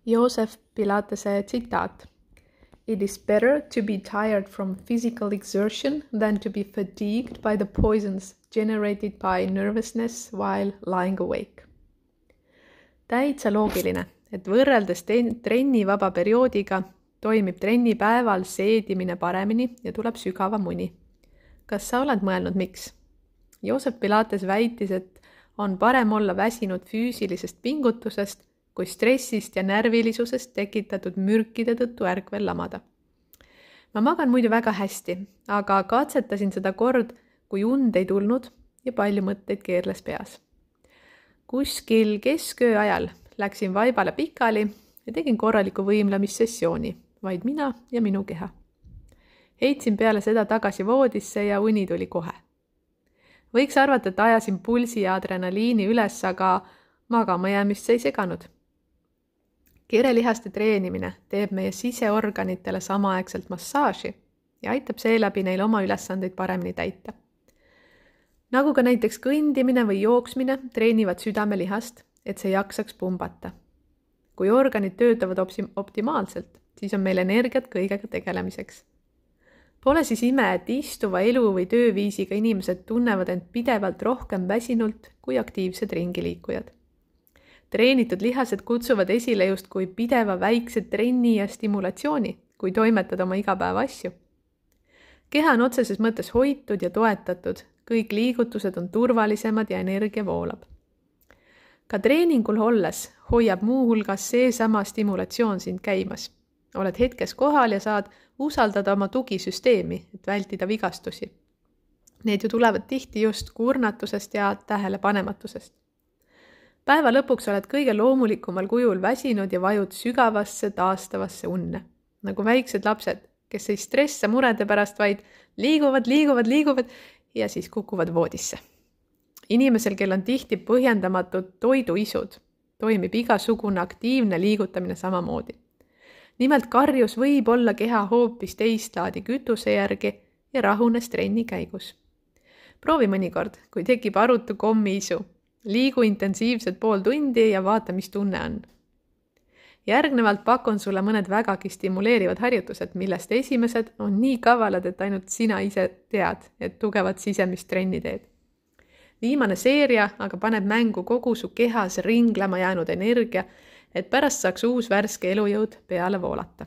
Joosef Pilatese tsitaat. It is better to be tired from physical exertion than to be fatigued by the poisons generated by nervousness while lying awake. Täitsa loogiline, et võrreldes trennivaba perioodiga toimib trennipäeval seedimine paremini ja tuleb sügavam uni. Kas sa oled mõelnud miks? Joosef Pilates väitis, et on parem olla väsinud füüsilisest pingutusest kui stressist ja närvilisusest tekitatud mürkide tõttu ärkvel lamada. Ma magan muidu väga hästi, aga katsetasin seda kord, kui und ei tulnud ja palju mõtteid keerles peas. Kuskil kesköö ajal läksin vaibale pikali ja tegin korraliku võimlemissessiooni, vaid mina ja minu keha. Heitsin peale seda tagasi voodisse ja uni tuli kohe. Võiks arvata, et ajasin pulsi ja adrenaliini üles, aga magama jäämist see ei seganud. Kirelihaste treenimine teeb meie siseorganitele samaaegselt massaaži ja aitab seeläbi neil oma ülesandeid paremini täita. Nagu ka näiteks kõndimine või jooksmine treenivad südamelihast, et see jaksaks pumbata. Kui organid töötavad optimaalselt, siis on meil energiat kõigega tegelemiseks. Pole siis ime, et istuva elu või tööviisiga inimesed tunnevad end pidevalt rohkem väsinult kui aktiivsed ringiliikujad. Treenitud lihased kutsuvad esile just kui pideva väikse trenni ja stimulatsiooni, kui toimetad oma igapäeva asju. Keha on otseses mõttes hoitud ja toetatud, kõik liigutused on turvalisemad ja energia voolab. Ka treeningul olles hoiab muu hulgas seesama stimulatsioon sind käimas. Oled hetkes kohal ja saad usaldada oma tugisüsteemi, et vältida vigastusi. Need ju tulevad tihti just kurnatusest ja tähelepanematusest. Päeva lõpuks oled kõige loomulikumal kujul väsinud ja vajud sügavasse taastavasse unne. Nagu väiksed lapsed, kes ei stressa murede pärast, vaid liiguvad ja siis kukuvad voodisse. Inimesel, kel on tihti põhjendamatud toiduisud, toimib igasugune aktiivne liigutamine samamoodi. Nimelt karjus võib olla keha hoopis teist laadi kütuse järgi ja rahunes trenni käigus. Proovi mõnikord, kui tekib arutu kommiisu. Liigu intensiivselt pool tundi ja vaata, mis tunne on. Järgnevalt pakun sulle mõned vägagi stimuleerivad harjutused, millest esimesed on nii kavalad, et ainult sina ise tead, et tugevat sisemist trenni teed. Viimane seeria aga paneb mängu kogu su kehas ringlema jäänud energia, et pärast saaks uus värske elujõud peale voolata.